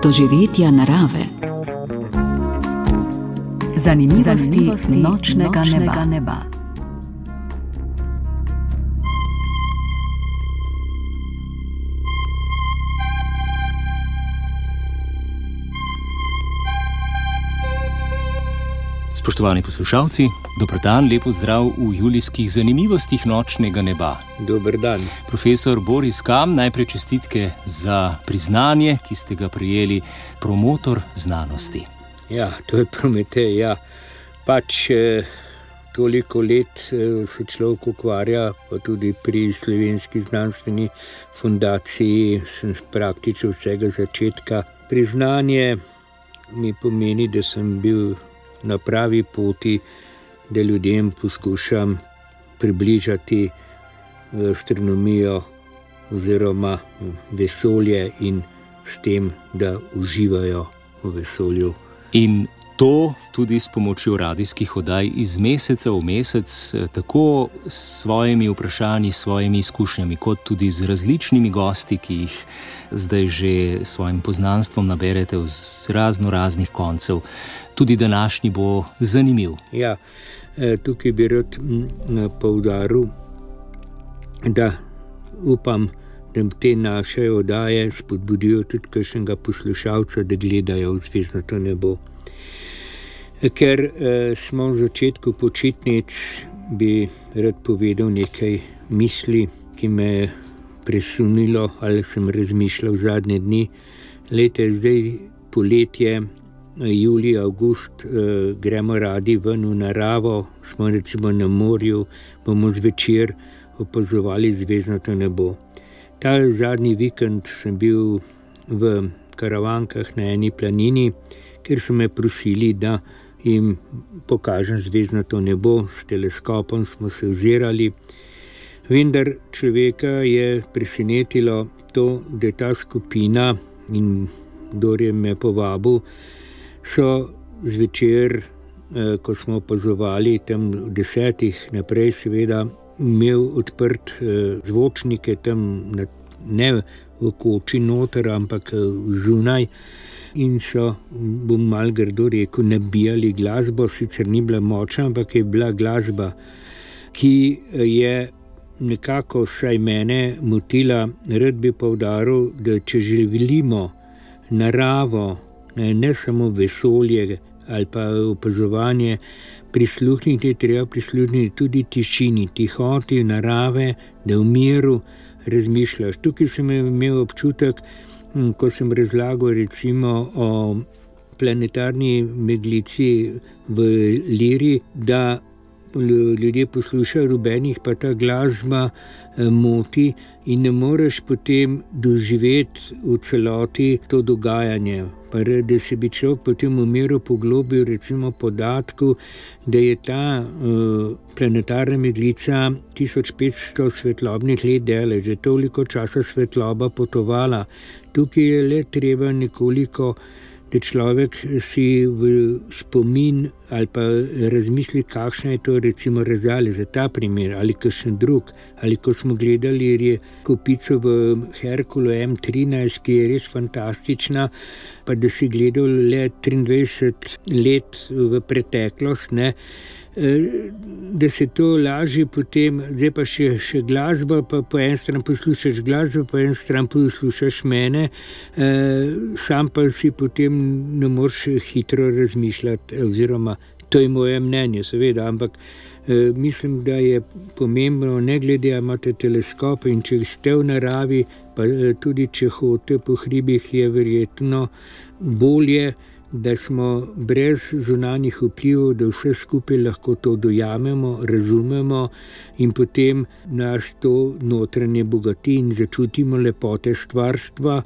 doživetja narave. Zanimivosti nočnega neba. Spoštovani poslušalci, dober dan, lep pozdrav v julijskih zanimivostih nočnega neba. Dober dan. Profesor Boris Kam, najprej čestitke za priznanje, ki ste ga prejeli, promotor znanosti. Ja, to je Prometej, ja. Toliko let se človek ukvarja, pa tudi pri Slovenski znanstveni fundaciji sem praktično vsega začetka. Priznanje mi pomeni, da sem bil na pravi poti, da ljudem poskušam približati astronomijo oziroma vesolje in s tem, da uživajo v vesolju. In to tudi s pomočjo radijskih oddaj iz meseca v mesec, tako s svojimi vprašanji, s svojimi izkušnjami, kot tudi z različnimi gosti, ki jih zdaj že s svojim poznanstvom naberete z raznih koncev. Tudi današnji bo zanimiv. Ja, tukaj bi rad poudaril, da upam, da te naše oddaje spodbudijo tudi kakšnega poslušalca, da gledajo v zvezdnato nebo. Ker smo v začetku počitnic, bi rad povedal nekaj misli, ki me je presunilo ali sem razmišljal zadnje dni. Leta je zdaj poletje, julij, avgust, gremo radi ven v naravo, smo recimo na morju, bomo zvečer opazovali zvezdnato nebo. Ta zadnji vikend sem bil v Karavankah na eni planini, kjer so me prosili, da jim pokažem zvezdnato nebo. S teleskopom smo se ozirali. Vendar človeka je presenetilo to, da ta skupina, in kdor je me povabil, so zvečer, ko smo opazovali tam 10 naprej, seveda imel odprt zvočnike tam, ne v koči noter, ampak zunaj, in so, bom malo grdo rekel, nabijali glasbo. Sicer ni bila močna, ampak je bila glasba, ki je nekako vsaj mene motila. Rad bi poudaril, da če želimo naravo, ne samo vesolje ali pa opazovanje, prisluhniti, treba prisluhniti tudi tišini, tihoti narave, da v miru razmišljaš. Tukaj sem imel občutek, ko sem razlagal recimo o planetarni meglici v Liri, da ljudje poslušajo rubenih, pa ta glasba moti in ne moreš potem doživeti v celoti to dogajanje. Pa da se bi človek potem v miru poglobil recimo podatku, da je ta planetarna meglica 1500 svetlobnih let daleč, že toliko časa svetloba potovala. Tukaj je le treba nekoliko, da človek si v spomin ali pa razmisli, kakšna je to recimo razdalja za ta primer ali kakšen drug. Ali ko smo gledali kopico v Herkulu M13, ki je res fantastična, pa da si gledal le 23 let v preteklost, ne, da se to lažje potem, zdaj pa še glasba, pa po en stran poslušaš glasbo, po en stran poslušaš mene, sam pa si potem ne moreš hitro razmišljati, oziroma to je moje mnenje, seveda, ampak mislim, da je pomembno, ne glede, imate teleskop in če ste v naravi, pa tudi če hodite po hribih, je verjetno bolje, da smo brez zunanjih vplivov, da vse skupaj lahko to dojamemo, razumemo in potem nas to notranje bogati in začutimo lepote stvarstva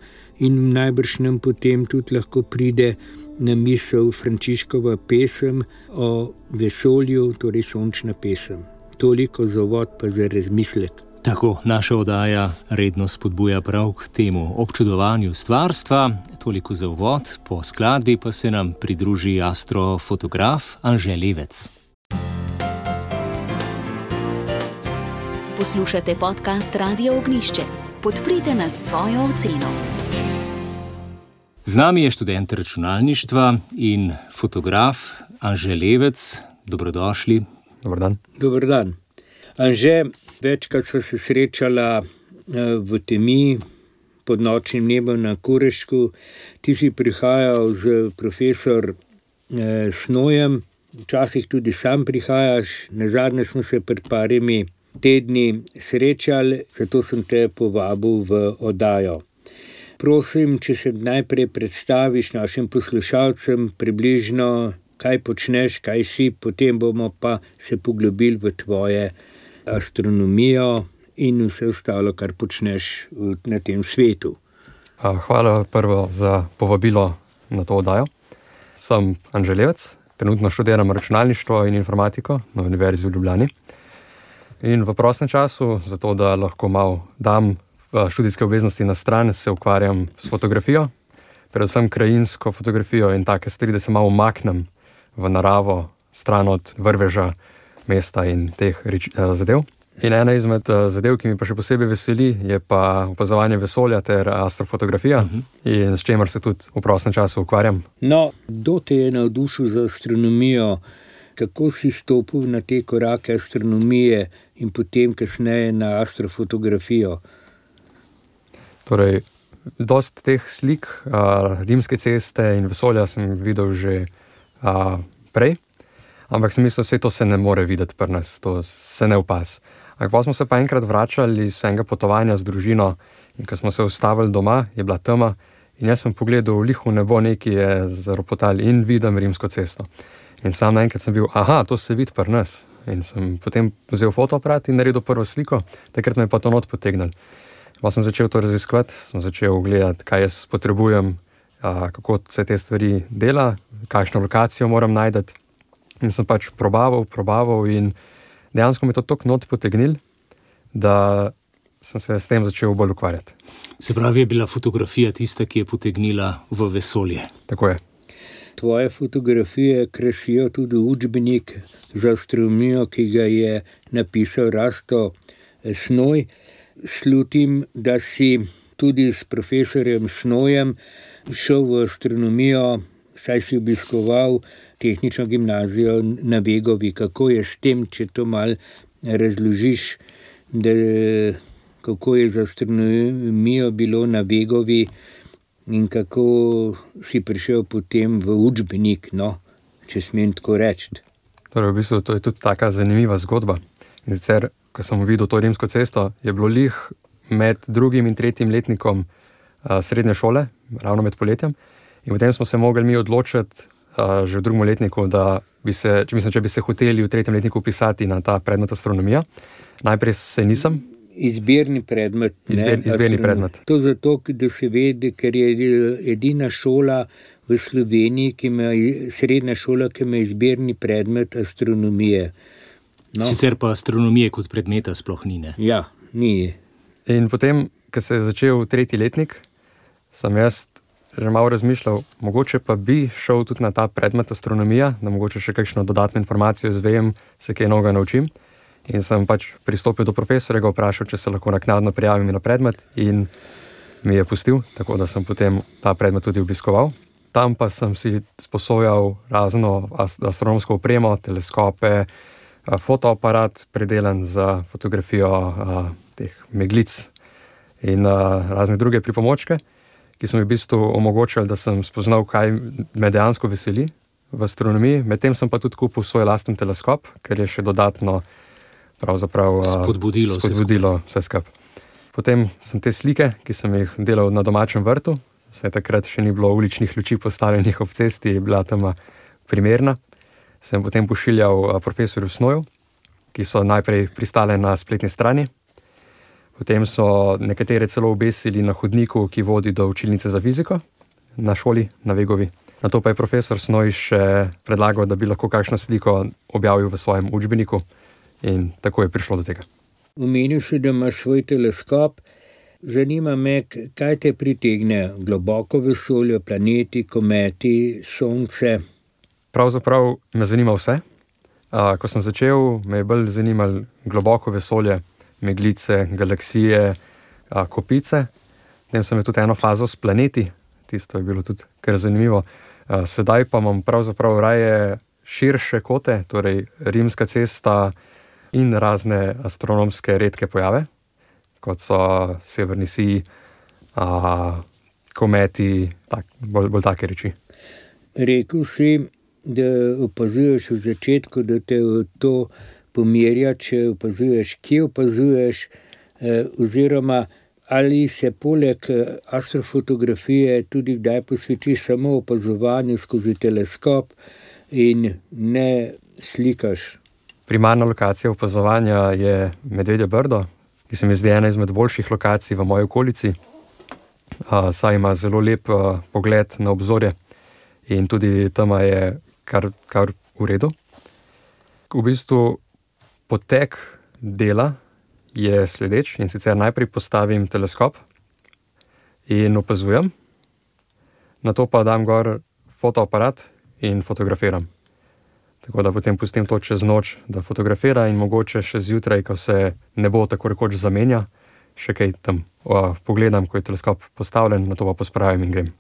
in najbrž nam potem tudi lahko pride na misel Frančiškova pesem o vesolju, torej sončna pesem. Toliko za uvod, pa za razmislek. Tako, naša oddaja redno spodbuja prav k temu občudovanju stvarstva. Toliko za uvod, po skladbi pa se nam pridruži astrofotograf Anže Levec. Poslušate podcast Radio Ognjišče. Podprite nas s svojo oceno. Z nami je študent računalništva in fotograf Anže Levec. Dobrodošli. Dober dan. Dober dan. Anže, večkrat sva se srečala v temi pod nočnim nebom na Kurešku. Ti si prihajal z profesor Snojem, včasih tudi sam prihajaš. Nazadnje smo se pred parimi tedni srečali, zato sem te povabil v oddajo. Prosim, če se najprej predstaviš našim poslušalcem približno, kaj počneš, kaj si, potem bomo pa se poglobili v tvoje astronomijo in vse ostalo, kar počneš na tem svetu. Hvala prvo za povabilo na to oddajo. Sem Anže Levec, trenutno študiram računalništvo in informatiko na Univerzi v Ljubljani. In v prostem času, zato da lahko malo dam študijske obveznosti na stran, se ukvarjam s fotografijo, predvsem krajinsko fotografijo in take stvari, da se malo umaknem v naravo, stran od vrveža, mesta in teh zadev. In ena izmed zadev, ki mi pa še posebej veseli, je pa opazovanje vesolja ter astrofotografija, in s čemer se tudi v prostem času ukvarjam. No, kdo te je navdušil za astronomijo? Kako si stopil na te korake astronomije in potem kasneje na astrofotografijo? Torej, dost teh slik rimske ceste in vesolja sem videl že prej, ampak sem mislil, da to se ne more videti pri nas, to se ne opaz. Ampak pa smo se pa enkrat vračali iz svojega potovanja z družino in ko smo se ustavili doma, je bila tema in jaz sem pogledal v lihu nebo, nekaj je zaropotali in vidim rimsko cesto. In sam naenkrat sem bil, to se vidi pri nas. In sem potem vzel fotoaparat in naredil prvo sliko, takrat me je pa to not potegnil. Pa sem začel to raziskovati, sem začel gledati, kaj jaz potrebujem, kako se te stvari dela, kakšno lokacijo moram najti. In sem pač probaval in dejansko me to toliko not potegnil, da sem se s tem začel bolj ukvarjati. Se pravi, je bila fotografija tista, ki je potegnila v vesolje. Tako je. Tvoje fotografije krasijo tudi učbenik za astronomijo, ki ga je napisal Rasto Snoj. Slutim, da si tudi s profesorjem Snojem šel v astronomijo, saj si obiskoval tehnično gimnazijo na Vegovi. Kako je s tem, če to malo razložiš, kako je z astronomijo bilo na Vegovi in kako si prišel potem v učbenik, če smem tako reči. Torej, v bistvu to je tudi taka zanimiva zgodba. In sicer, ko sem videl to rimsko cesto, je bilo lih med 2. in 3. letnikom srednje šole, ravno med poletjem. In potem smo se mogli mi odločiti že v 2. letniku, da če bi se hoteli v 3. letniku upisati na ta predmet astronomija. Najprej se nisem. Izbirni predmet. Izbirni predmet. To zato, da se vede, ker je edina šola v Sloveniji, srednja šola, ki ima izbirni predmet astronomije. No. Sicer pa astronomije kot predmeta sploh ni, ne? Ja, ni. In potem, ko se je začel 3. letnik, sem jaz že malo razmišljal, mogoče pa bi šel tudi na ta predmet astronomija, da mogoče še kakšno dodatno informacijo izvem, se kaj novega naučim. In sem pač pristopil do profesorja, ga vprašal, če se lahko naknadno prijavim na predmet in mi je pustil, tako da sem potem ta predmet tudi obiskoval. Tam pa sem si sposojal razno astronomsko opremo, teleskope, fotoaparat predelan za fotografijo teh meglic in razne druge pripomočke, ki so mi v bistvu omogočali, da sem spoznal, kaj me dejansko veseli v astronomiji. Medtem sem pa tudi kupil svoj lasten teleskop, ker je še dodatno pravzaprav spodbudilo vse skupaj. Potem sem te slike, ki sem jih delal na domačem vrtu, saj takrat še ni bilo uličnih luči postavljenih ob cesti, je bila tema primerna. Sem potem pošiljal profesorju Snoju, ki so najprej pristale na spletni strani. Potem so nekatere celo obesili na hodniku, ki vodi do učilnice za fiziko na šoli na Vegovi. Nato pa je profesor Snoj še predlagal, da bi lahko kakšno sliko objavil v svojem učbeniku in tako je prišlo do tega. Omenil si, da imaš svoj teleskop. Zanima me, kaj te pritegne? Globoko vesolje, planeti, kometi, sonce? Pravzaprav me zanima vse. Ko sem začel, me je bolj zanimalo globoko vesolje, meglice, galaksije, kopice. Potem sem imel tudi eno fazo s planeti. tisto je bilo tudi kar zanimivo. Sedaj pa imam pravzaprav raje širše kote, torej Rimska cesta in razne astronomske redke pojave, kot so severni sij, kometi, bolj take reči. Rekel si, da opazuješ v začetku, da te to pomerja, če opazuješ, kje opazuješ, oziroma ali se poleg astrofotografije tudi kdaj posvetiš samo opazovanju skozi teleskop in ne slikaš. Primarna lokacija opazovanja je Medvedje Brdo, ki se mi zdi ena izmed boljših lokacij v moji okolici, saj ima zelo lep pogled na obzorje in tudi tam je kar v redu. V bistvu potek dela je sledeč, in sicer najprej postavim teleskop in opazujem, nato pa dam gor fotoaparat in fotografiram. Tako da potem pustim to čez noč, da fotografira, in mogoče še zjutraj, ko se nebo tako rekoč zamenja, še kaj tam pogledam, ko je teleskop postavljen, nato pa pospravim in grem.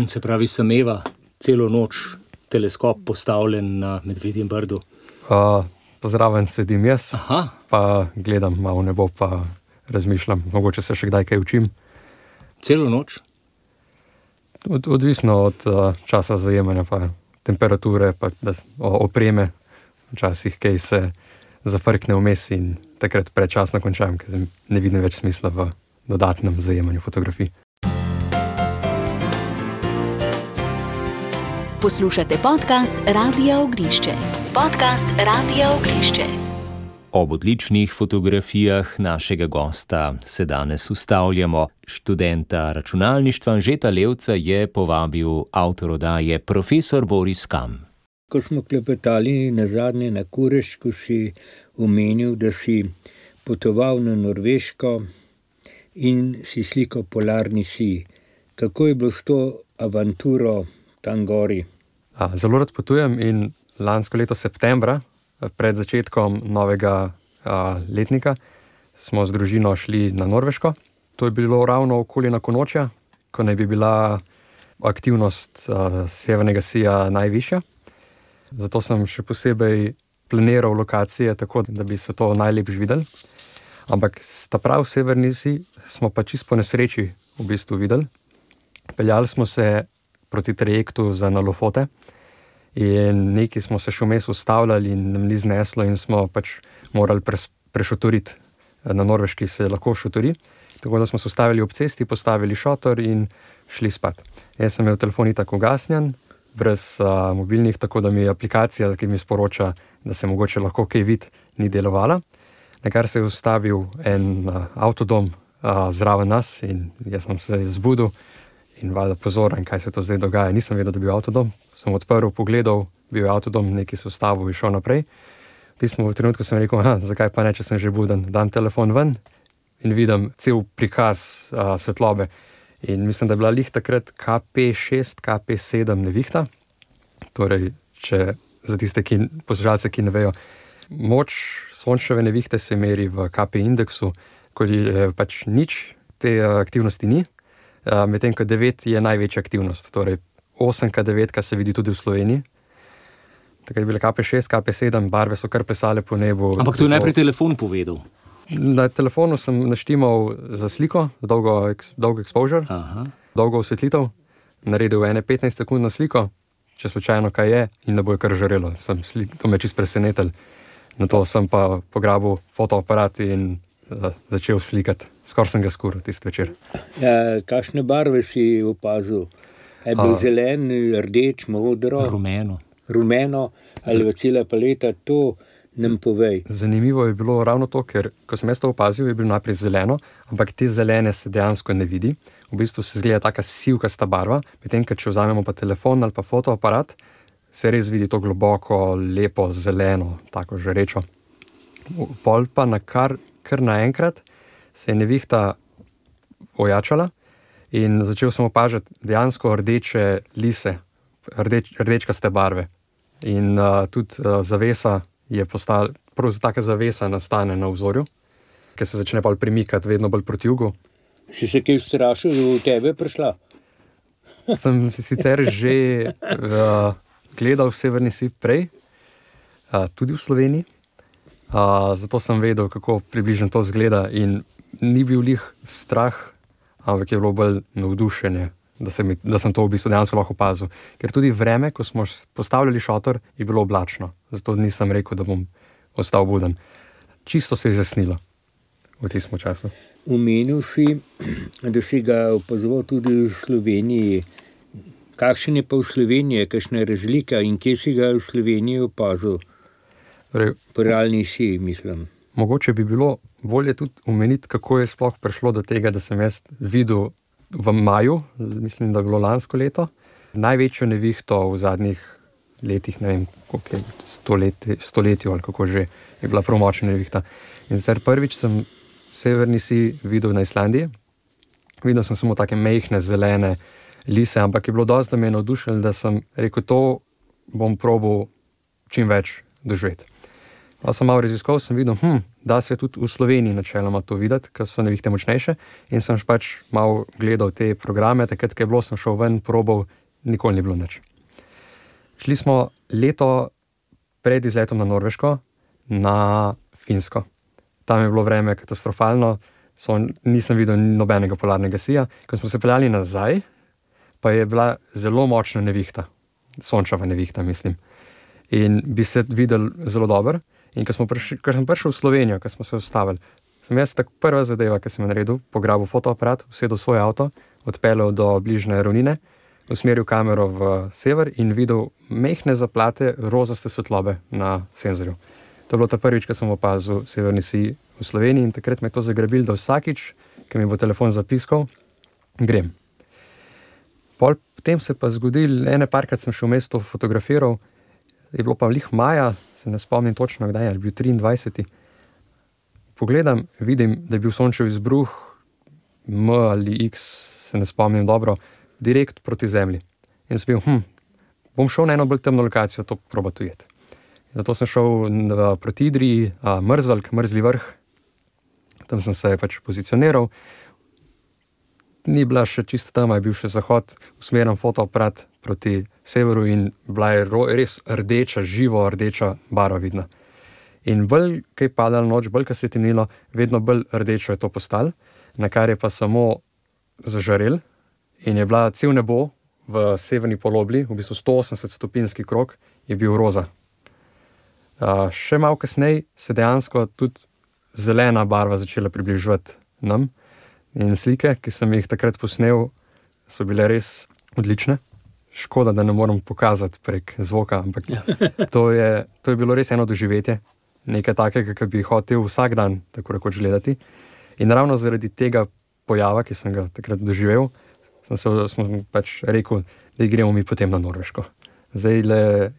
Se pravi, sameva celo noč teleskop postavljen na Medvedjem Brdu? Pozraven sedim jaz, pa gledam malo nebo, pa razmišljam, mogoče se še kdaj kaj učim. Celo noč? Odvisno od časa zajemanja, pa temperature, pa opreme. Včasih kaj se zafrkne vmes in takrat predčasno končam, ker ne vidim več smisla v dodatnem zajemanju fotografij. Poslušate podcast Radia Oglišče. Ob odličnih fotografijah našega gosta se danes ustavljamo. Študenta računalništva Anžeta Levca je povabil avtor oddaje profesor Boris Kam. Ko smo klepetali nazadnje na Kurež, ko si omenil, da si potoval na Norveško in si slikal polarni sij. Kako je bilo s to avanturo tam gori? Zelo rad potujem in lansko leto septembra, pred začetkom novega letnika, smo z družino šli na Norveško. To je bilo ravno okoli Nakonočja, ko naj bi bila aktivnost severnega sija najvišja. Zato sem še posebej planiral lokacije tako, da bi se to najlepše videli. Ampak ta prav severni sij smo pa čisto po nesreči v bistvu videli. Peljali smo se proti trajektu za na Lofote in neki smo se še vmes ustavljali in nam ni zneslo in smo pač morali prešotoriti. Na Norveški se lahko šotori, tako da smo se ustavili ob cesti, postavili šotor in šli spat. Jaz sem imel telefon itak ugasnjen, brez mobilnih, tako da mi aplikacija, ki mi sporoča, da se mogoče lahko kaj vidi, ni delovala. Nakar se je ustavil en avtodom zraven nas in jaz sem se zbudil in valjda pozoren, kaj se to zdaj dogaja. Nisem vedel, da bi bil avtodom. Sem odprl, pogledal, bil je avtodom, neki se ustavil in šel naprej. V trenutku sem rekel, zakaj pa ne, če sem že buden. Dam telefon ven in vidim cel prikaz svetlobe. In mislim, da je bila lih takrat KP6, KP7 nevihta. Torej, za tiste poslušalce, ki ne vejo, moč sončeve nevihte se meri v KP indeksu, ko je pač nič, te aktivnosti ni. Medtem ko 9 je največja aktivnost, torej 8K9 se vidi tudi v Sloveniji. Takrat je bila KP6, KP7, barve so kar plesale po nebu. Ampak to je najprej telefon povedal. Na telefonu sem naštimal za sliko, dolgo exposure, dolgo osvetlitev, naredil 15 sekund na sliko, če slučajno kaj je, in ne bo je kar žarelo. To me čisto presenetil. Nato sem pa pograbil fotoaparat in začel slikati. Skoraj sem ga skuril tisti večer. Kakšne barve si opazil? Je bil zelen, rdeč, modro? Rumeno ali cela paleta, to nam povej. Zanimivo je bilo ravno to, ker ko sem jaz to opazil, je bilo najprej zeleno, ampak te zelene se dejansko ne vidi. V bistvu se zgleda taka sivkasta barva, medtem ko če vzamemo pa telefon ali pa fotoaparat, se res vidi to globoko, lepo, zeleno, tako žarečo. Pol pa kar naenkrat se je nevihta ojačala in začel sem opažati dejansko rdeče lise, rdečkaste barve. In tudi zavesa je postala, prav taka zavesa nastane na obzorju, ker se začne pa premikati vedno bolj proti jugu. Si se kaj ustrašil, da v tebe prišla? sem sicer že gledal Severni sij prej, tudi v Sloveniji. Zato sem vedel, kako približno to izgleda in ni bil lih strah, ampak je bilo bolj navdušenje, da sem to v bistvu dejansko lahko opazil. Ker tudi vreme, ko smo postavljali šotor, je bilo oblačno. Zato nisem rekel, da bom ostal buden. Čisto se je zasnilo v tistem času. Omenil si, da si ga opazoval tudi v Sloveniji. Kakšen je pa v Sloveniji, kakšna je razlika in kje si ga v Sloveniji opazil? Po realni siji, mislim. Mogoče bi bilo bolje tudi omeniti, kako je sploh prišlo do tega, da sem jaz videl v maju, mislim, da je bilo lansko leto, največjo nevihto v zadnjih letih, ne vem, koliko je, stoletju ali kako že, je bila prav močna nevihta. In zdaj prvič sem Severni sij videl na Islandiji. Videl sem samo take mehne, zelene lise, ampak je bilo dosti, da me je navdušilo, da sem rekel, to bom probal čim več doživeti. Pa sem malo raziskal, sem videl, da se tudi v Sloveniji načeloma to videti, ker so nevihte močnejše, in sem pač malo gledal te programe, takrat, ko je bilo, sem šel ven, probal, nikoli ni bilo nič. Šli smo leto pred izletom na Norveško, na Finsko. Tam je bilo vreme katastrofalno, nisem videl nobenega polarnega sija. Ko smo se peljali nazaj, pa je bila zelo močna nevihta, sončeva nevihta, mislim. In bi se videl zelo dobro. In ko sem prišel v Slovenijo, ko smo se ustavili, sem jaz tako prva zadeva, ki sem jo naredil, pograbil fotoaparat, usedel svoj avto, odpeljal do bližnje ravnine, usmeril kamero v sever in videl mehne zaplate rozaste svetlobe na senzorju. To je bilo ta prvič, ko sem opazil Severni sij v Sloveniji, in takrat me je to zagrabil, da vsakič, ko mi bo telefon zapiskal, grem. Potem se pa zgodil, parkrat sem šel v mesto fotografiral, je bilo pa lih maja, se ne spomnim točno kdaj, ali bil 23. Pogledam, vidim, da je bil sončev izbruh M ali X, se ne spomnim dobro, direkt proti zemlji. In sem bil, bom šel na eno bolj temno lokacijo, to probati ujeti. Zato sem šel proti Idriji, Mrzli vrh, tam sem se pač pozicioniral. Ni bila še čisto tam, je bil še zahod, usmerjam fotoaparat proti severu in bila je res rdeča, živo rdeča barva vidna. In bolj, kaj je padala noč, bolj, kaj se je temnilo, vedno bolj rdečo je to postalo, na kar je pa samo zažarel in je bila cel nebo v severni polobli, v bistvu 180-stopinjski krog, je bil roza. Še malo kasneje se dejansko tudi zelena barva začela približevati nam. In slike, ki sem jih takrat posnel, so bile res odlične. Škoda, da ne morem pokazati prek zvoka, ampak to je bilo res eno doživetje. Nekaj takega, ki bi hotel vsak dan tako rekoč gledati. In ravno zaradi tega pojava, ki sem ga takrat doživel, smo pač rekel, da gremo mi potem na Norveško. Zdaj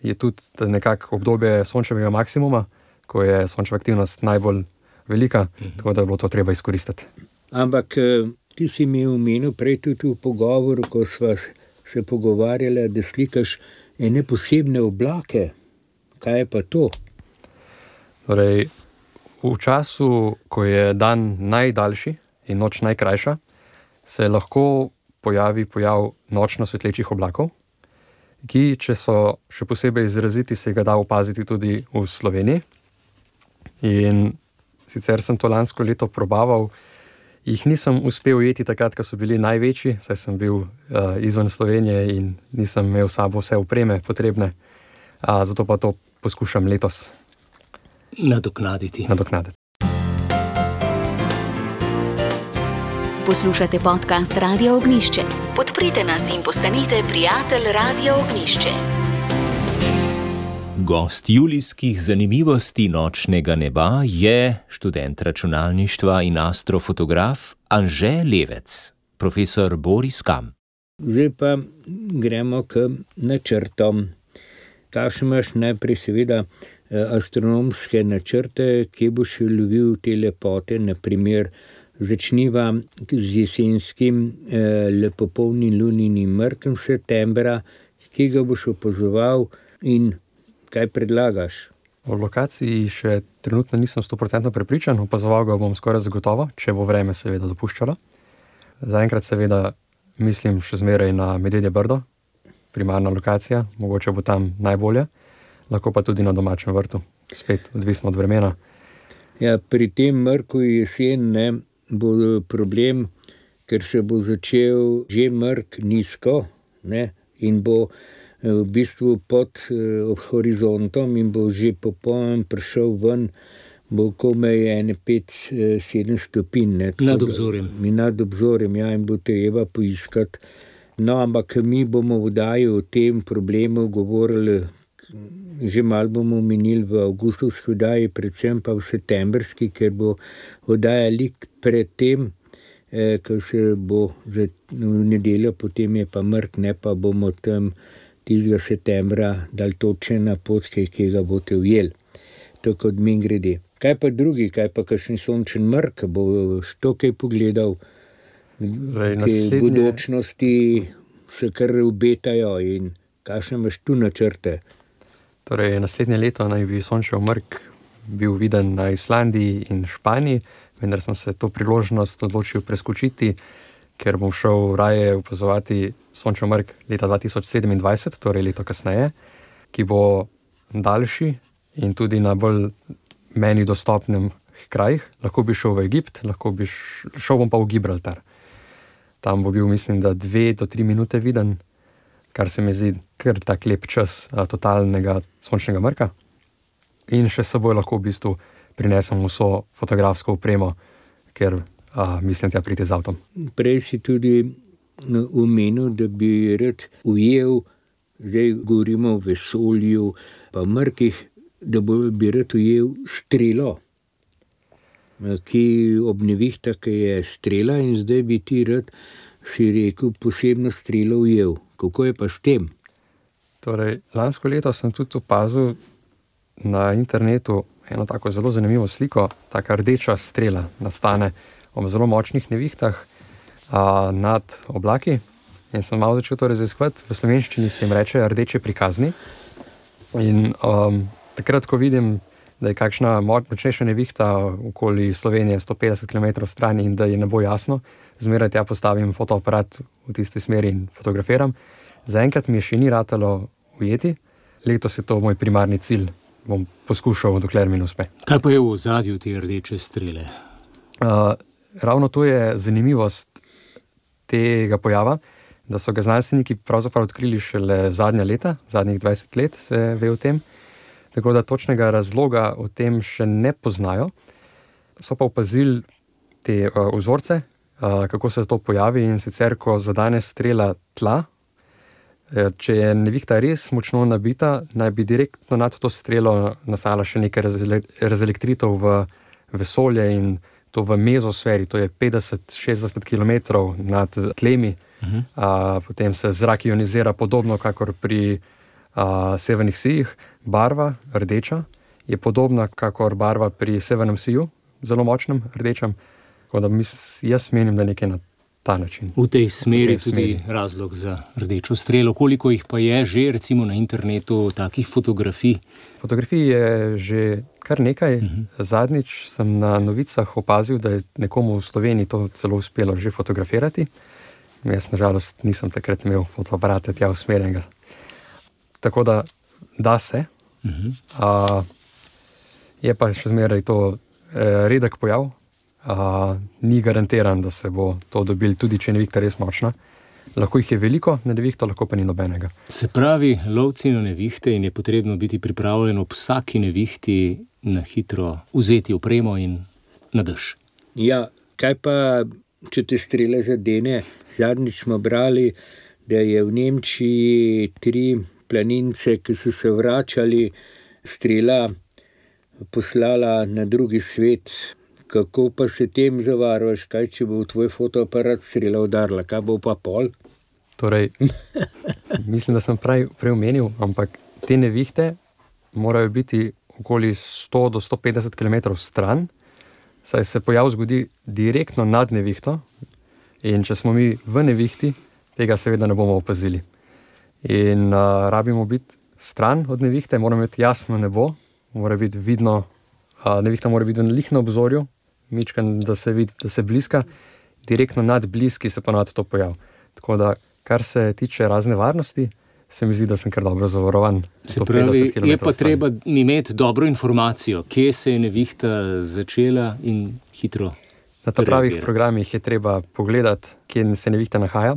je tudi nekako obdobje sončevega maksimuma, ko je sončeva aktivnost najbolj velika, tako da je bilo to treba izkoristiti. Ampak ti si mi omenil prej tudi v pogovoru, ko sva se pogovarjala, da slikaš ene posebne oblake. Kaj je pa to? Torej, v času, ko je dan najdaljši in noč najkrajša, se lahko pojavi pojav nočno svetlečih oblakov, ki, če so še posebej izraziti, se ga da opaziti tudi v Sloveniji. In sicer sem to lansko leto probaval, jih nisem uspel ujeti takrat, ko so bili največji, saj sem bil izven Slovenije in nisem imel s sabo vse opreme potrebne, zato pa to poskušam letos nadoknaditi. Poslušate podcast Radia Ognjišče. Podprite nas in postanite prijatelj Radia Ognjišče. Gost julijskih zanimivosti nočnega neba je študent računalništva in astrofotograf Anže Levec, profesor Boris Kam. Zdaj pa gremo k načrtom. Kakšne imaš najprej seveda astronomske načrte, kje boš lovil te lepote, naprimer začniva z jesenskim lepopolnim luninim mrkom septembra, kje ga boš opazoval in kaj predlagaš? O lokaciji še trenutno nisem 100% prepričan, opazoval ga bom skoraj zagotovo, če bo vreme seveda dopuščalo. Zaenkrat seveda mislim še zmeraj na Medvedje Brdo, primarna lokacija, mogoče bo tam najbolje, lahko pa tudi na domačem vrtu, spet odvisno od vremena. Ja, pri tem mrku jesen bo problem, ker se bo začel že mrk nizko, in bo v bistvu pod horizontom in bo že popoln prišel ven, bo komaj 5-7 stopinj. Nad obzorjem. Nad obzorjem, ja, in bo treba poiskati. No, ampak mi bomo v oddaji o tem problemu govorili, že malo bomo omenili v avgustovski oddaji, predvsem pa v septembrski, ker bo oddaja lik pred tem, ko se bo v nedeljo, potem je pa mrk, pa bomo tam tistega septembra dali točne napotke, ki ga boste ujeli. To kot mimogrede. Kaj pa drugi, kaj pa kakšen sončen mrk, bo to kaj pogledal? Te budučnosti se kar obetajo in kakšne imaš tu načrte? Torej, naslednje leto naj bi sončev mrk bil viden na Islandiji in Španiji, vendar sem se to priložnost odločil preskočiti, ker bom šel raje opazovati sončev mrk leta 2027, torej leto kasneje, ki bo daljši in tudi na bolj meni dostopnem krajih. Lahko bi šel v Egipt, šel bom pa v Gibraltar. Tam bo bil, mislim, da 2 do 3 minute viden, kar se mi zdi kar tak lep čas totalnega sončnega mrka. In še s seboj lahko v bistvu prinesem vso fotografsko opremo, ker mislim tja priti z avtom. Prej si tudi omenil, da bi rad ujel, zdaj govorimo o vesolju, pa mrkih, da bi rad ujel strelo, ki ob nevihtah je strela in zdaj bi ti rad, si rekel, posebno strelo ujel. Kako je pa s tem? Torej, lansko leto sem tudi opazil na internetu eno tako zelo zanimivo sliko, taka rdeča strela nastane ob zelo močnih nevihtah nad oblaki in sem malo začel to raziskovati. V slovenščini se jim reče rdeče prikazni in takrat, ko vidim, da je kakšna močnejša nevihta okoli Slovenije 150 km stran in da je ne bo jasno, zmeraj tja postavim fotoaparat v tisti smeri in fotografiram. Zaenkrat mi je še ni ratalo ujeti, letos je to moj primarni cilj, bom poskušal, dokler mi ne uspe. Kaj pa je v ozadju te rdeče strele? Ravno to je zanimivost tega pojava, da so ga znanstveniki pravzaprav odkrili šele zadnja leta, zadnjih 20 let se ve o tem, tako da točnega razloga o tem še ne poznajo. So pa opazili te vzorce, kako se to pojavi, in sicer, ko zadane strela tla, če je nevihta res močno nabita, naj bi direktno nad to strelo nastala še nekaj razelektritev v vesolje in to v mezosferi, to je 50-60 km nad tlemi. Potem se zrak ionizira podobno, kakor pri severnih sijih. Barva, rdeča, je podobna kakor barva pri severnem siju, zelo močnem, rdečem. Tako da jaz menim, da nekaj na ta način. V tej smeri tudi razlog za rdečo strelo. Koliko jih pa je že, recimo na internetu, takih fotografij? Fotografij je že kar nekaj. Zadnjič sem na novicah opazil, da je nekomu v Sloveniji to celo uspelo že fotografirati. Jaz nažalost nisem takrat imel fotoaparata tja usmerjenega. Tako da se. Je pa še zmeraj to redek pojav. Ni garantiran, da se bo to dobil, tudi če je nevihta res močna. Lahko jih je veliko na nevihto, lahko pa ni nobenega. Se pravi, lovci na nevihte in je potrebno biti pripravljen ob vsaki nevihti na hitro vzeti opremo in na dež. Ja, kaj pa, če te strele zadene? Zadnjič smo brali, da je v Nemčiji 3 planince, ki so se vračali, strela poslala na drugi svet. Kako pa se tem zavarovaš? Kaj, če bo v tvoj fotoaparat strela udarila? Kaj bo pa pol? Torej, mislim, da sem prej omenil, ampak te nevihte morajo biti okoli 100 do 150 km stran, saj se pojav zgodi direktno nad nevihto in če smo mi v nevihti, tega seveda ne bomo opazili. In rabimo biti stran od nevihte, moramo imeti jasno nebo, mora biti vidno, nevihta mora biti lih na obzorju, mičkan, da se vidi, da se bliska, direktno nad bliski se ponavadi to pojav. Tako da, kar se tiče razne varnosti, se mi zdi, da sem kar dobro zavarovan. Se pravi, je pa treba imeti dobro informacijo, kje se je nevihta začela in hitro. Na ta pravih programih je treba pogledati, kje se nevihta nahaja,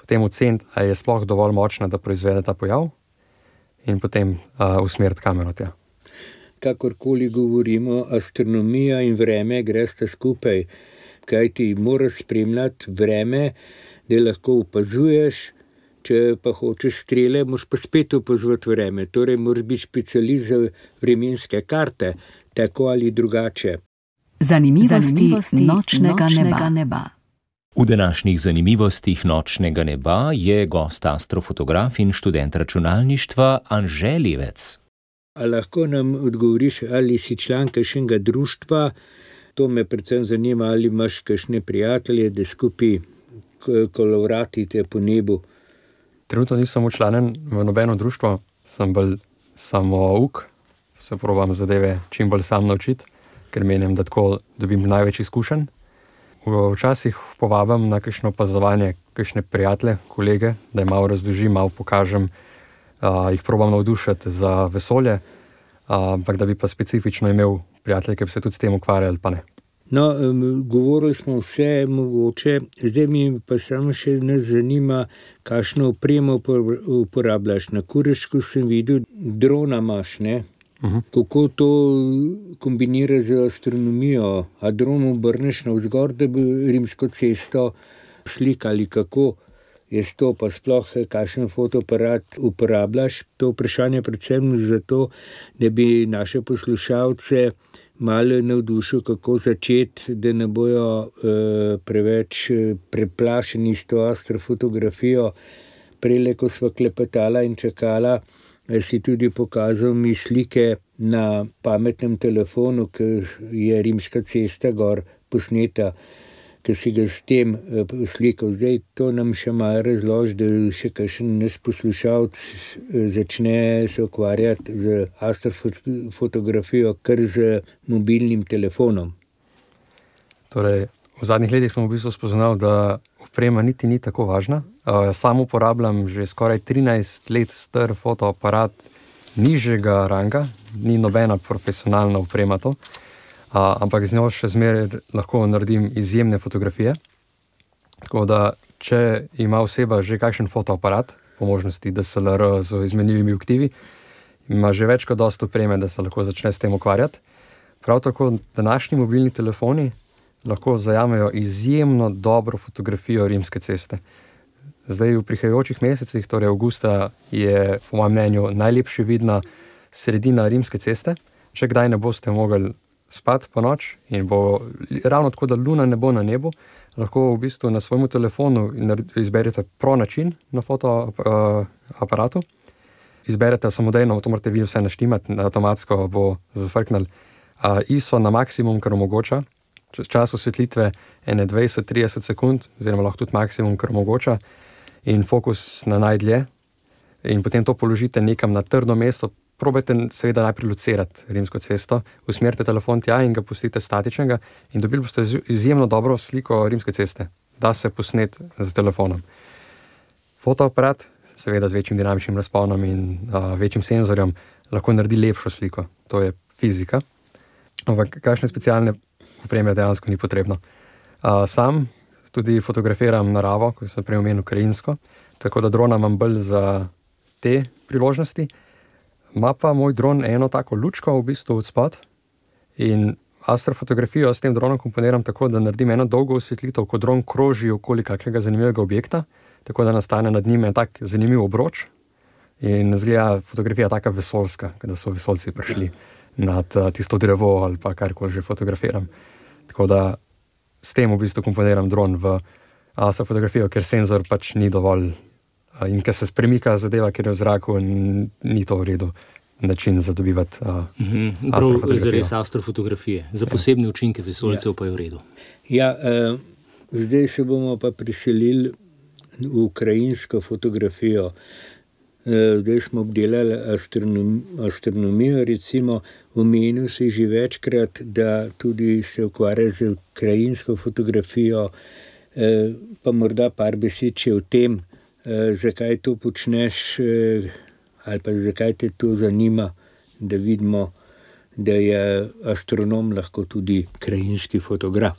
potem oceniti, ali je sploh dovolj močna, da proizvede ta pojav, in potem usmeriti kamero tja. Kakorkoli govorimo, astronomija in vreme gresta skupaj, kaj ti moraš spremljati vreme, da lahko opazuješ, če pa hočeš strele, moraš pa spet opazovati vreme, torej moraš biti specialist za vremenske karte, tako ali drugače. Zanimivosti nočnega neba. V današnjih zanimivostih nočnega neba je gost astrofotograf in študent računalništva Anže Levec. A lahko nam odgovoriš, ali si član kakšnega društva? To me predvsem zanima, ali imaš kakšne prijatelje, da skupaj kolovratite po nebu. Trenutno nisem včlanjen v nobeno društvo, sem bolj samouk, se probam zadeve čim bolj sam naučiti, ker menim, da tako dobim največ izkušenj. Včasih povabim na kakšno opazovanje kakšne prijatelje, kolege, da jim malo razložim, malo pokažem, jih probam navdušiti za vesolje, ampak da bi pa specifično imel prijatelje, ki bi se tudi s tem ukvarjali, pa ne. No, govorili smo vse mogoče, zdaj mi pa samo še nas zanima, kakšno opremo uporabljaš. Na Kurešku sem videl, drona imaš, ne? Kako to kombinira z astronomijo? A dron obrneš navzgor, da bi Rimsko cesto slikali, kako je to, pa sploh kakšen fotoaparat uporabljaš? To vprašanje predvsem zato, da bi naše poslušalce malo navdušil, kako začeti, da ne bojo preveč preplašeni s to astrofotografijo. Prejle, ko sva klepetala in čakala, si tudi pokazal mi slike na pametnem telefonu, ki je Rimska cesta gor posneta, ki si ga s tem slikal. Zdaj to nam še malo razloži, da še kakšen naš poslušalec začne se ukvarjati z astrofotografijo kar z mobilnim telefonom. Torej, v zadnjih letih sem v bistvu spoznal, da oprema niti ni tako važna. Sam uporabljam že skoraj 13 let star fotoaparat nižjega ranga, ni nobena profesionalna oprema to, ampak z njo še zmeraj lahko naredim izjemne fotografije. Tako da, če ima oseba že kakšen fotoaparat, po možnosti DSLR z izmenljivimi objektivi, ima že več kot dosti opreme, da se lahko začne s tem ukvarjati. Prav tako današnji mobilni telefoni lahko zajamejo izjemno dobro fotografijo Rimske ceste. Zdaj v prihajajočih mesecih, torej avgusta, je po mojem mnenju najlepše vidna sredina Rimske ceste. Če kdaj ne boste mogli spati po noč in bo ravno tako, da luna ne bo na nebu, lahko v bistvu na svojemu telefonu izberete pro način na fotoaparatu. Izberete samodejno, to morate vi vse naštimati, avtomatsko bo zafrknil ISO na maksimum, kar omogoča. Čas osvetlitve 20-30 sekund, oziroma lahko tudi maksimum, kar omogoča, in fokus na najdlje. In potem to položite nekam na trdno mesto. Probajte seveda najprej locirati Rimsko cesto, usmerite telefon tja in ga pustite statičnega in dobili boste izjemno dobro sliko Rimske ceste. Da se posnet z telefonom. Fotoaparat, seveda z večjim dinamičnim razponom in večjim senzorjem, lahko naredi lepšo sliko. To je fizika. Ampak kakšne specialne opreme dejansko ni potrebno. Sam tudi fotografiram naravo, ko sem prej omenil krajinsko, tako da drona imam bolj za te priložnosti. Ima pa moj dron eno tako lučko v bistvu odspod in astrofotografijo s tem dronom komponiram tako, da naredim eno dolgo osvetlitev, ko dron kroži okoli kakega zanimivega objekta, tako da nastane nad njim en tak zanimiv obroč in izgleda fotografija taka vesoljska, da so vesoljci prišli nad tisto drevo ali pa karkoli že fotografiram. Tako da s tem v bistvu komponiram dron v astrofotografijo, ker senzor pač ni dovolj in ker se spremika zadeva, ker je v zraku, ni to v redu način za dobivati astrofotografijo. Zares astrofotografije. Za posebne učinke vesoljcev pa je v redu. Ja, zdaj se bomo pa priselili v krajinsko fotografijo. Zdaj smo obdelali astronomijo, recimo omenil si že večkrat, da tudi se ukvarja z krajinsko fotografijo. Pa morda par besed še o tem, zakaj to počneš, ali pa zakaj te to zanima, da vidimo, da je astronom lahko tudi krajinski fotograf.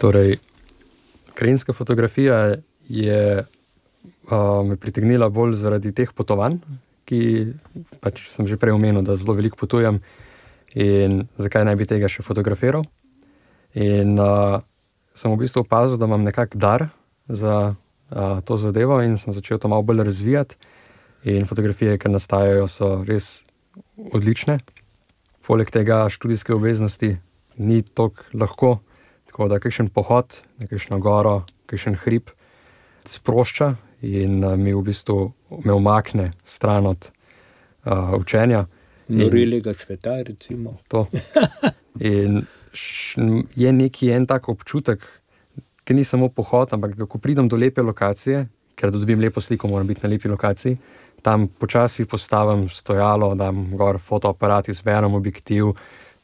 Torej, krajinska fotografija je me pritegnila bolj zaradi teh potovanj, ki pač sem že prej omenil, da zelo veliko potujem in zakaj ne bi tega še fotografiral. In sem v bistvu opazil, da imam nekak dar za to zadevo in sem začel to malo bolj razvijati in fotografije, ki nastajajo, so res odlične. Poleg tega študijske obveznosti ni toliko lahko, tako da kakšen pohod, kakšno goro, kakšen hrib sprošča in mi v bistvu me umakne stran od učenja. Norelega sveta, recimo. To. In je neki en tak občutek, ki ni samo pohod, ampak ko pridem do lepe lokacije, ker da dobim lepo sliko, moram biti na lepi lokaciji, tam počasi postavim stojalo, dam gor fotoaparat, izberem objektiv,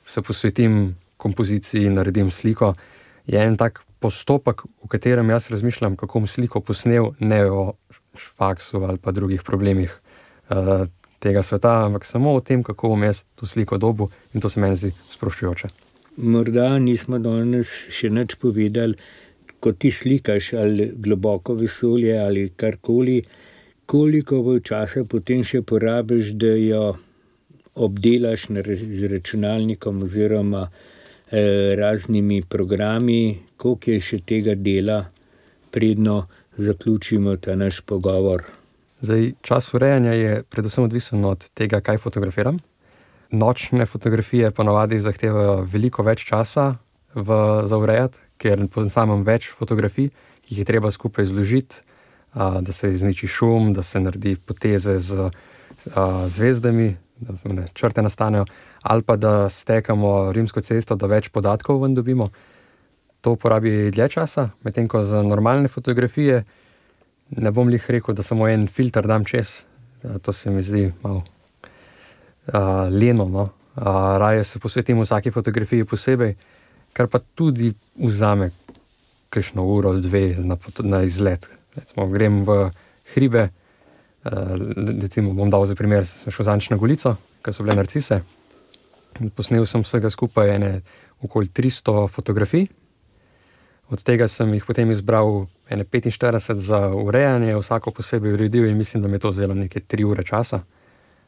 se posvetim kompoziciji, naredim sliko. Je en tak postopek, v katerem jaz razmišljam, kako bom sliko posnel, ne o faksu ali pa drugih problemih tega sveta, ampak samo o tem, kako bom jaz to sliko dobil, in to se meni zdi sproščujoče. Morda nismo danes še nič povedali, ko ti slikaš ali globoko vesolje ali karkoli, koliko časa potem še porabiš, da jo obdelaš z računalnikom oziroma raznimi programi, koliko je še tega dela, predno zaključimo ta naš pogovor. Zdaj, čas urejanja je predvsem odvisen od tega, kaj fotografiram. Nočne fotografije ponavadi zahtevajo veliko več časa za urejati, ker poznam več fotografij, ki jih je treba skupaj zložiti, da se izniči šum, da se naredi poteze z zvezdami, da črte nastanejo, ali pa da stekamo Rimsko cesto, da več podatkov ven dobimo. To porabi dlje časa, medtem ko za normalne fotografije ne bom lih rekel, da samo en filter dam čez. To se mi zdi malo leno, no. Raje se posvetim vsaki fotografiji posebej, kar pa tudi vzame kakšno uro, dve na izlet. Recimo, grem v hribe, recimo bom dal za primer, sem šel zadnjič na Golico, ker so bile narcise. Posnel sem vsega skupaj okoli 300 fotografij. Od tega sem jih potem izbral 45 za urejanje, vsako posebej uredil in mislim, da mi je to vzelo neke 3 ure časa,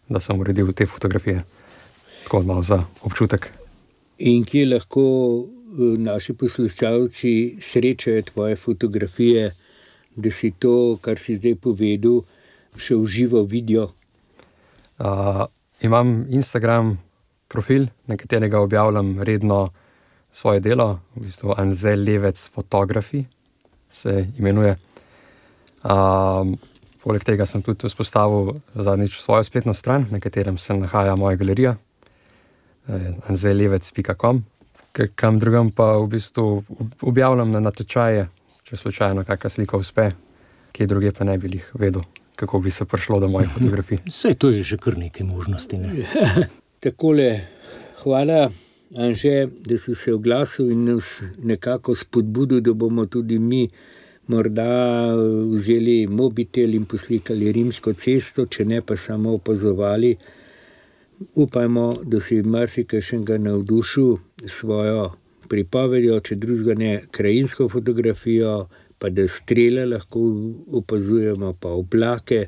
da sem uredil te fotografije. Tako malo za občutek. In kje lahko naši poslušalci srečajo tvoje fotografije, da si to, kar si zdaj povedal, še v živo vidijo? Imam Instagram profil, na katerega objavljam redno svoje delo, v bistvu Anže Levec Photography se imenuje. Poleg tega sem tudi vzpostavil zadnjič svojo spletno stran, na katerem se nahaja moja galerija, anželevec.com, kam drugam pa v bistvu objavljam na natečaje, če slučajno kakšna slika uspe, kje druge pa ne bi jih vedel, kako bi se prišlo do mojih fotografij. Saj to je že kar nekaj možnosti, ne? Takole, hvala Anže, da si se oglasil in nas nekako spodbudil, da bomo tudi mi morda vzeli mobitel in poslikali Rimsko cesto, če ne pa samo opazovali. Upajmo, da si marsikajšnega navdušil svojo pripovedjo, če drugega ne krajinsko fotografijo, pa da strele lahko opazujemo, pa oblake.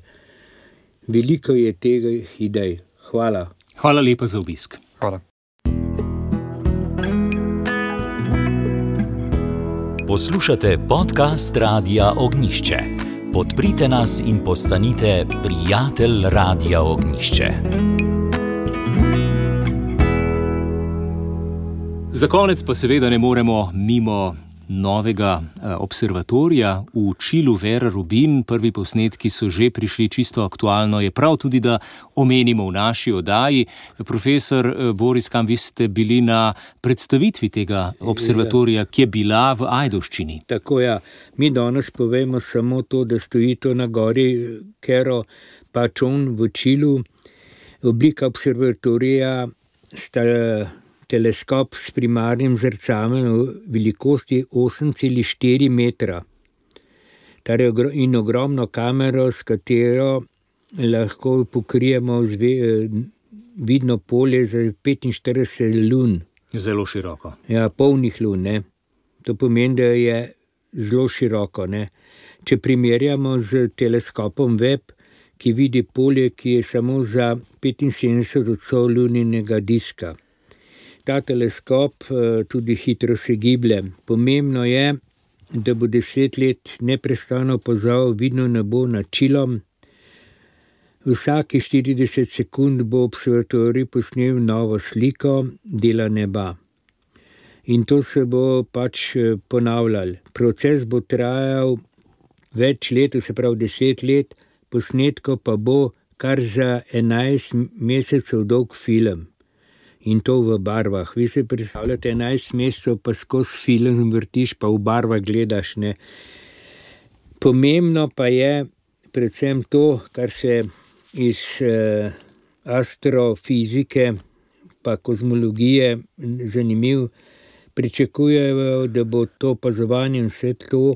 Veliko je tega idej. Hvala. Hvala lepa za obisk. Hvala. Poslušate podcast Radia Ognjišče. Podprite nas in postanite prijatelj Radia Ognjišče. Za konec pa seveda ne moremo mimo novega observatorija v Čilu Vera Rubin. Prvi posnetki so že prišli, čisto aktualno je prav tudi, da omenimo v naši oddaji. Profesor Boris Kam, vi ste bili na predstavitvi tega observatorija, ki je bila v Ajdovščini. Tako ja, mi danes povemo samo to, da stoji to na gori Cerro Pachón v Čilu. Oblika observatorija sta teleskop s primarnim zrcalom velikosti 8,4 metra. In ogromno kamero, s katero lahko pokrijemo vidno polje za 45 lun. Zelo široko. Ja, polnih lun, ne. To pomeni, da je zelo široko, ne. Če primerjamo z teleskopom Webb, ki vidi polje, ki je samo za 75% luninega diska. Ta teleskop tudi hitro se giblje. Pomembno je, da bo 10 let neprestano opazoval vidno nebo nad Čilom. Vsaki 40 sekund bo observatorij posnel novo sliko dela neba. In to se bo pač ponavljal. Proces bo trajal več let, se pravi 10 let, posnetko pa bo kar za 11 mesecev dolg film. In to v barvah. Vi se predstavljate 11 mesecev, pa skozi film vrtiš, pa v barvah gledaš, ne. Pomembno pa je predvsem to, kar se iz astrofizike pa kozmologije zanimiv, pričakujejo, da bo to opazovanje vse to,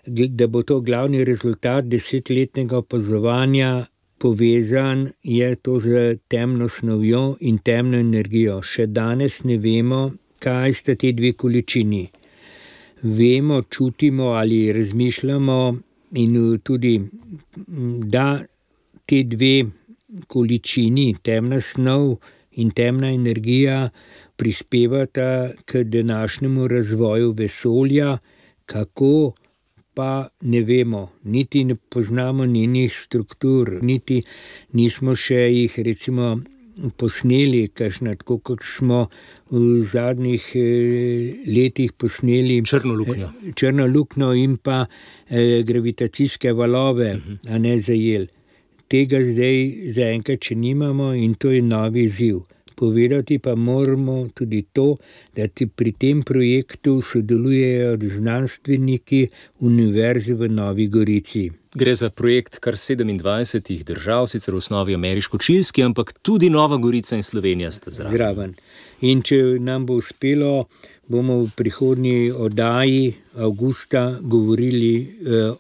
da bo to glavni rezultat 10-letnega opazovanja povezan je to z temno snovjo in temno energijo. Še danes ne vemo, kaj sta te dve količini. Vemo, čutimo ali razmišljamo in tudi, da te dve količini, temna snov in temna energija, prispevata k današnjemu razvoju vesolja, kako pa ne vemo, niti ne poznamo njenih struktur, niti nismo še jih recimo posneli, kakšna, tako kot smo v zadnjih letih posneli črno luknjo in pa gravitacijske valove, a ne zajel. Tega zdaj zaenkrat še nimamo in to je novi izziv. Povedati pa moramo tudi to, da pri tem projektu sodelujejo znanstveniki Univerze v Novi Gorici. Gre za projekt kar 27 držav, sicer v osnovi ameriško-čilski, ampak tudi Nova Gorica in Slovenija sta zraven. In če nam bo uspelo, bomo v prihodnji oddaji avgusta govorili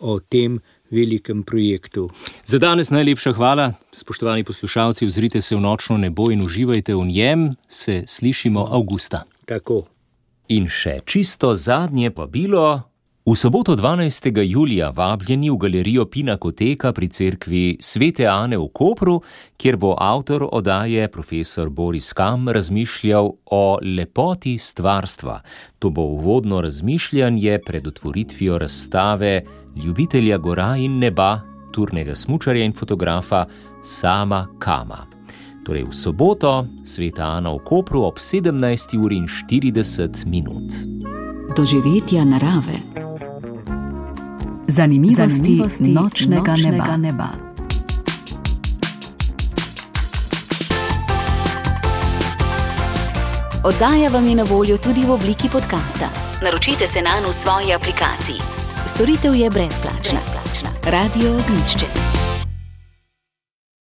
o tem velikem projektu. Za danes najlepša hvala. Spoštovani poslušalci, ozrite se v nočno nebo in uživajte v njem. Se slišimo avgusta. Tako. In še čisto zadnje povabilo. V soboto 12. julija vabljeni v galerijo Pinakoteka pri cerkvi Svete Ane v Kopru, kjer bo avtor oddaje profesor Boris Kam razmišljal o lepoti stvarstva. To bo uvodno razmišljanje pred otvoritvijo razstave ljubitelja gora in neba, turnega smučarja in fotografa Sama Kama. Torej v soboto Sveta Ana v Kopru ob 17:40. Doživetja narave. Zanimivosti nočnega neba. Oddaja vam je na voljo tudi v obliki podcasta. Naročite se nanj v svoji aplikaciji. Storitev je brezplačna. Radio Ognjišče.